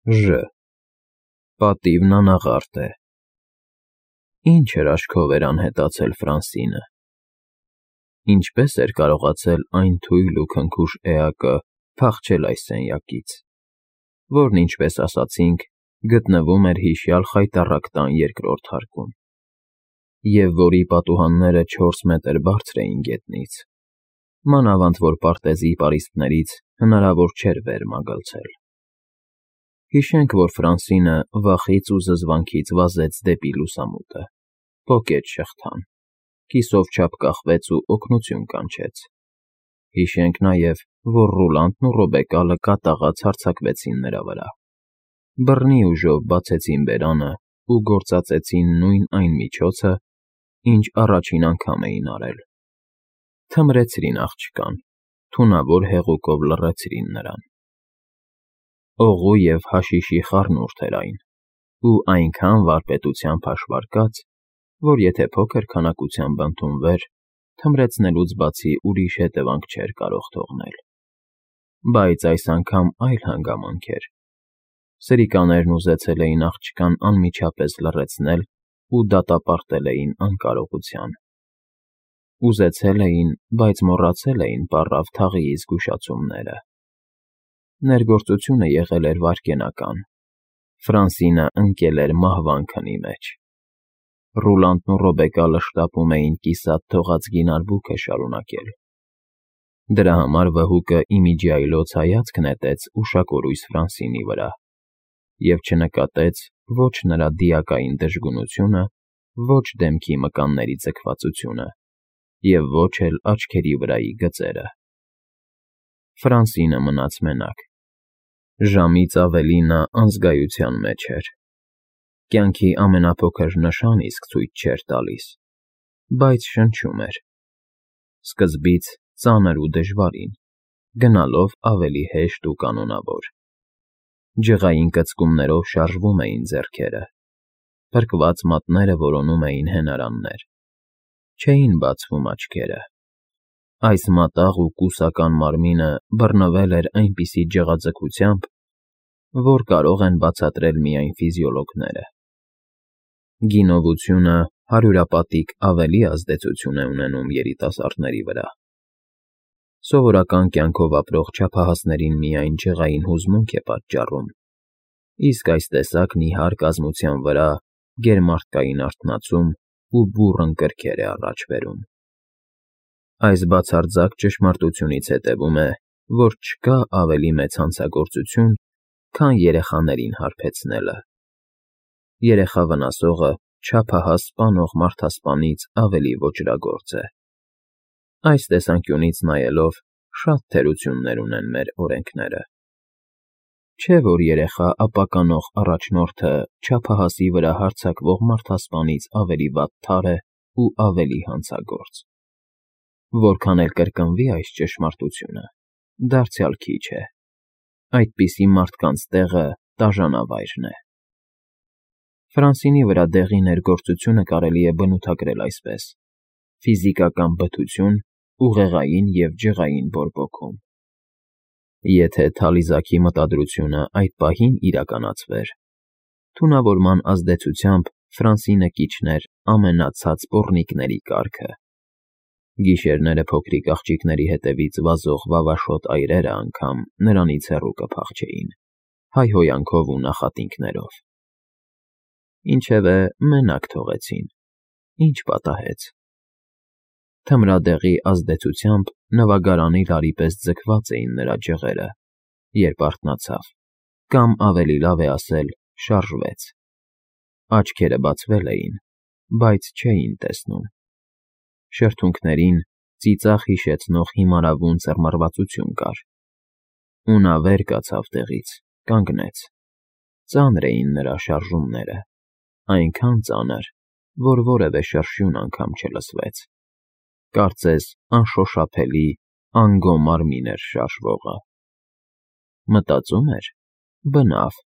Ժ. Պատիվն անաղարտ է։ Ինչ էր աչքով էր անհետացել Ֆրանսինը։ Ինչպես էր կարողացել այն թույլ ու քնքուշ էակը փախչել այս սենյակից, որն, ինչպես ասացինք, գտնվում էր հիշյալ խայտառակ տան երկրորդ հարկում, և որի պատուհանները 4 մետր բարձր էին գետնից, մանավանդ որ պարտեզի պարիսպներից հնարավոր չէր վեր մագլցել։ Հիշենք, որ Ֆրանսինը վախից ու զզվանքից վազեց դեպի լուսամուտը, պոկեց շղթան, կիսով չափ կախվեց ու օգնություն կանչեց։ Հիշենք նաև, որ Ռուլանդն ու Ռոբեկալը կատաղած հարձակվեցին նրա վրա, բռնի ուժով բացեցին բերանը ու գործածեցին նույն այն միջոցը, ինչ առաջին անգամ էին արել. թմրեցրին աղջկան, թունավոր հեղուկով լռեցրին նրան։ Օղու և հաշիշի խառնուրդ էր այն, ու այնքան վարպետությամբ հաշվարկած, որ եթե փոքր քանակությամբ ընդունվեր, թմրեցնելուց բացի ուրիշ հետևանք չէր կարող թողնել։ Բայց այս անգամ այլ հանգամանք էր։ Սրիկաներն ուզեցել էին աղջկան անմիջապես լռեցնել ու դատապարտել էին անկարողության։ Ուզեցել էին, բայց մոռացել էին պառավ թաղիի զգուշացումները։ Ներգործությունը եղել էր վայրկենական։ Ֆրանսինը ընկել էր մահվան քնի մեջ։ Ռուլանդն ու Ռոբեկալը շտապում էին կիսատ թողած գին արբուքը շարունակել։ Դրա համար վհուկը իմիջիայլոց հայացք նետեց ուշակորույս Ֆրանսինի վրա և չնկատեց ոչ նրա դիակային դժգունությունը, ոչ դեմքի մկանների ձգվածությունը և ոչ էլ աչքերի վրայի գծերը։ Ֆրանսինը մնաց մենակ։ Ժամից ավելի նա անզգայության մեջ էր։ Կյանքի ամենափոքր նշան իսկ ցույց չէր տալիս, բայց շնչում էր։ Սկզբից ծանր ու դժվարին, գնալով ավելի հեշտ ու կանոնավոր։ Ջղային կծկումներով շարժվում էին ձեռքերը, փրկված մատները որոնում էին հենարաններ, չէին բացվում աչքերը։ Այս մատաղ ու կուսական մարմինը բռնվել էր այնպիսի ջղաձգությամբ, որ կարող են բացատրել միայն ֆիզիոլոգները։ Գինովությունը հարյուրապատիկ ավելի ազդեցություն է ունենում երիտասարդների վրա։ Սովորական կյանքով ապրող չափահասներին միայն ջղային հուզմունք է պատճառում, իսկ այս տեսակ նիհար կազմության վրա գերմարդկային արթնացում ու բուռն կրքեր է առաջ բերում։ Այս բացարձակ ճշմարտությունից հետևում է, որ չկա ավելի մեծ հանցագործություն, քան երեխաներին հարբեցնելը։ Երեխա վնասողը չափահաս սպանող մարդասպանից ավելի ոճրագործ է։ Այս տեսանկյունից նայելով շատ թերություններ ունեն մեր օրենքները։ Չէ՞ որ երեխա ապականող առաջնորդը չափահասի վրա հարձակվող մարդասպանից ավելի վատթար է ու ավելի հանցագործ։ Որքան էլ կրկնվի այս ճշմարտությունը, դարձյալ քիչ է։ Այդպիսի մարդկանց տեղը տաժանավայրն է։ Ֆրանսինի վրա դեղի ներգործությունը կարելի է բնութագրել այսպես. ֆիզիկական բթություն ուղեղային և ջղային բորբոքում։ Եթե թալիզակի մտադրությունը այդ պահին իրականացվեր, թունավորման ազդեցությամբ Ֆրանսինը կիջներ ամենացած պոռնիկների կարգը։ Գիշերները փոքրիկ աղջիկների հետևից վազող վավաշոտ այրերը անգամ նրանից հեռու կփախչեին, հայհոյանքով ու նախատինքներով։ Ինչևէ, մենակ թողեցին, ինչ պատահեց։ Թմրադեղի ազդեցությամբ նվագարանի լարի պես ձգված էին նրա ջղերը, երբ արթնացավ, կամ ավելի լավ է ասել, շարժվեց։ Աչքերը բացվել էին, բայց չէին տեսնում։ Շրթունքներին ծիծաղ հիշեցնող հիմարավուն ծռմռվածություն կար։ Ու նա վեր կացավ տեղից, կանգնեց։ Ծանր էին նրա շարժումները, այնքան ծանր, որ որևէ շրշյուն անգամ չլսվեց։ Կարծես անշոշափելի, անգոմար մին էր շարժվողը։ Մտածում էր՝ բնավ,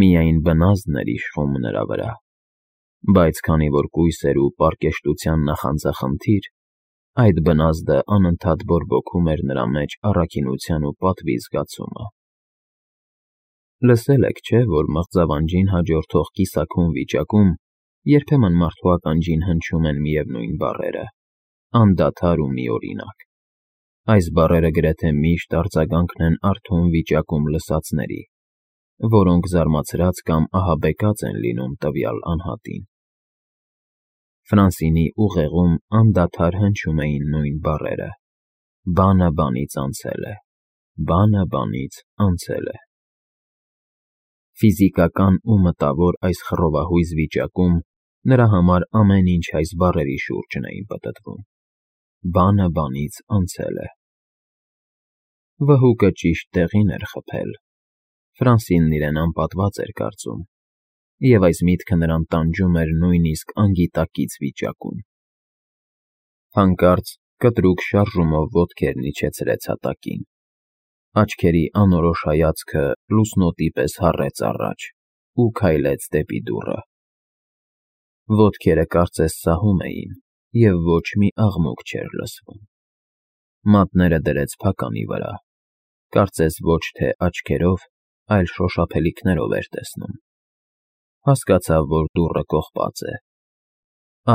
միայն բնազդն էր իշխում նրա վրա։ Բայց քանի որ կույս էր ու պարկեշտության նախանձախնդիր, այդ բնազդը անընդհատ բորբոքում էր նրա մեջ առաքինության ու պատվի զգացումը։ Լսել եք, չէ՞, որ մղձավանջին հաջորդող կիսաքուն վիճակում երբեմն մարդու ականջին հնչում են միևնույն բառերը՝ անդադար ու միօրինակ։ Այս բառերը գրեթե միշտ արձագանքն են արթուն վիճակում լսածների, որոնք զարմացրած կամ ահաբեկած են լինում տվյալ անհատին։ Ֆրանսինի ուղեղում անդադար հնչում էին նույն բառերը. «Բանը բանից անցել է, բանը բանից անցել է»։ Ֆիզիկական ու մտավոր այս խռովահույզ վիճակում նրա համար ամեն ինչ այս բառերի շուրջն էին պտտվում. «Բանը բանից անցել է»։ Վհուկը ճիշտ տեղին էր խփել։ Ֆրանսինն իրեն անպատված էր կարծում, և այս միտքը նրան տանջում էր նույնիսկ անգիտակից վիճակում։ Հանկարծ կտրուկ շարժումով ոտքերն իջեցրեց հատակին։ Աչքերի անորոշ հայացքը լուսնոտի պես հառեց առաջ ու քայլեց դեպի դուռը։ Ոտքերը կարծես սահում էին, և ոչ մի աղմուկ չէր լսվում։ Մատները դրեց փականի վրա, կարծես ոչ թե աչքերով, այլ շոշափելիքներով էր տեսնում։ Հասկացավ, որ դուռը կողպած է։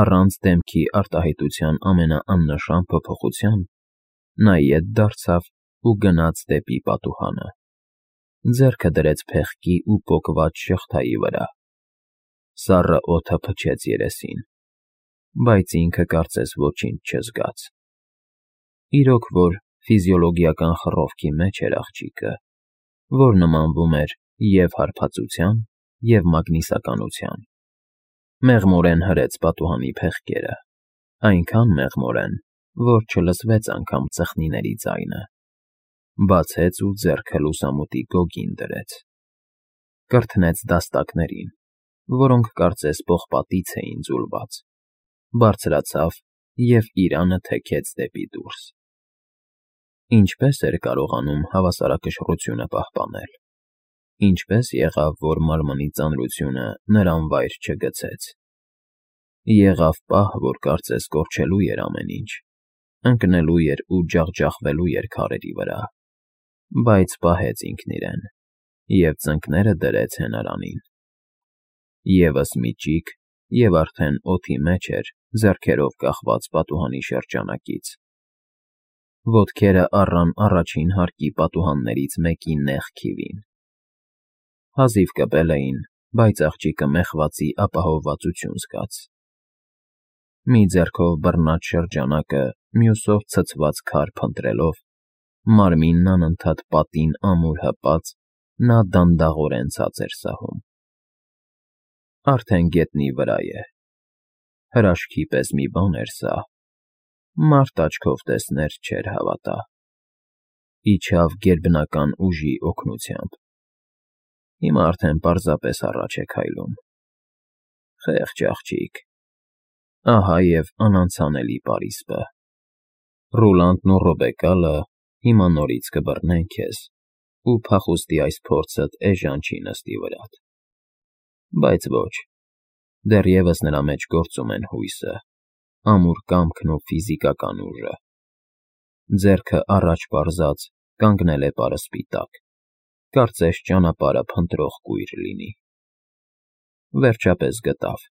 Առանց դեմքի արտահայտության ամենաաննշան փոփոխության նա ետ դարձավ ու գնաց դեպի պատուհանը։ Ձեռքը դրեց փեղկի ու պոկված շղթայի վրա։ Սառը օդը փչեց երեսին, բայց ինքը կարծես ոչինչ չզգաց։ Իրոք որ ֆիզիոլոգիական խռովքի մեջ էր աղջիկը, որ նմանվում էր և հարբածության, և մագնիսականության։ Մեղմորեն հրեց պատուհանի փեղկերը, այնքան մեղմորեն, որ չլսվեց անգամ ծխնիների ձայնը։ Բացեց ու ձեռքը լուսամուտի գոգին դրեց։ Կրթնեց դաստակներին, որոնք կարծես պողպատից էին ձուլված, բարձրացավ և իրանը թեքեց դեպի դուրս։ Ինչպե՞ս էր կարողանում հավասարակշռությունը պահպանել։ Ինչպե՞ս եղավ, որ մարմնի ծանրությունը նրան վայր չգցեց։ Եղավ պահ, որ կարծես կորչելու էր ամեն ինչ, ընկնելու էր ու ջախջախվելու էր քարերի վրա, բայց պահեց ինքն իրեն և ծնկները դրեց հենարանին։ Եվս մի ճիգ, և արդեն օդի մեջ էր ձեռքերով կախված պատուհանի շրջանակից։ Ոտքերը առան առաջին հարկի պատուհաններից մեկի նեղ քիվին։ Հազիվ կպել էին, բայց աղջիկը մեխվածի ապահովվածություն զգաց։ Մի ձեռքով բռնած շրջանակը, մյուսով ցցված քար փնտրելով, մարմինն անընդհատ պատին ամուր հպած, նա դանդաղորեն ցած էր սահում։ Արդեն գետնի վրա է։ Հրաշքի պես մի բան էր սա։ Մարդ աչքով տեսներ չէր հավատա։ Իջավ գերբնական ուժի օգնությամբ։ Հիմա արդեն պարզապես առաջ է քայլում։ Խեղճ աղջիկ։ Ահա և անանցանելի պարիսպը։ Ռուլանդն ու Ռոբեկալը հիմա նորից կբռնեն քեզ, ու փախուստի այս փորձդ էժան չի նստի վրադ։ Բայց ոչ, դեռևս նրա մեջ գործում են հույսը, ամուր կամքն ու ֆիզիկական ուժը։ Ձեռքը առաջ պարզած կանգնել է պարսպի տակ, կարծես ճանապարհը փնտրող կույր լինի։ Վերջապես գտավ։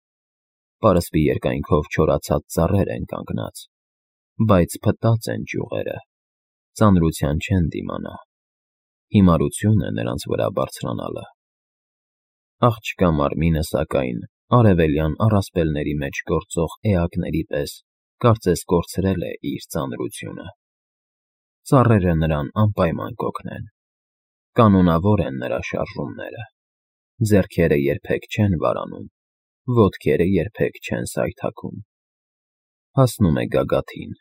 Պարսպի երկայնքով չորացած ծառեր են կանգնած, բայց փտած են ճյուղերը, ծանրության չեն դիմանա։ Հիմարություն է նրանց վրա բարձրանալը։ Աղջկա մարմինը, սակայն, արևելյան առասպելների մեջ գործող էակների պես կարծես կորցրել է իր ծանրությունը։ Ծառերը նրան անպայման կօգնեն։ Կանոնավոր են նրա շարժումները։ Ձեռքերը երբեք չեն վարանում, ոտքերը երբեք չեն սայթաքում։ Հասնում է գագաթին,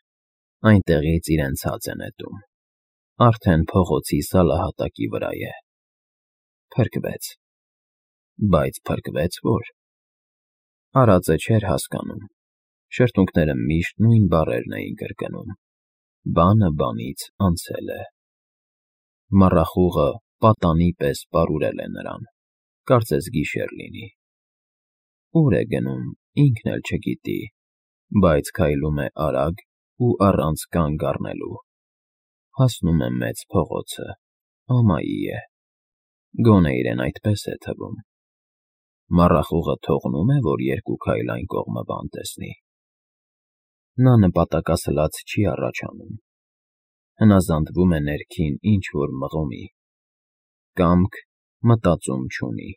այնտեղից իրեն ցած է նետում։ Արդեն փողոցի սալահատակի վրա է։ Փրկվեց։ Բայց փրկվեց ո՞ր։ Արածը չէր հասկանում։ Շրթունքները միշտ նույն բառերն էին կրկնում. բանը բանից անցել է։ Մառախուղը պատանի պես պարուրել է նրան, կարծես գիշեր լինի։ Ուր է գնում, ինքն էլ չգիտի, բայց քայլում է արագ ու առանց կանգ առնելու։ Հասնում է մեծ փողոցը, ամայի է։ Գոնե իրեն այդպես է թվում։ Մառախուղը թողնո՞ւմ է, որ երկու քայլ այն կողմը բան տեսնի։ Նա նպատակասլաց չի առաջանում, հնազանդվում է ներքին ինչ֊որ մղոմի, կամք մտածում չունի։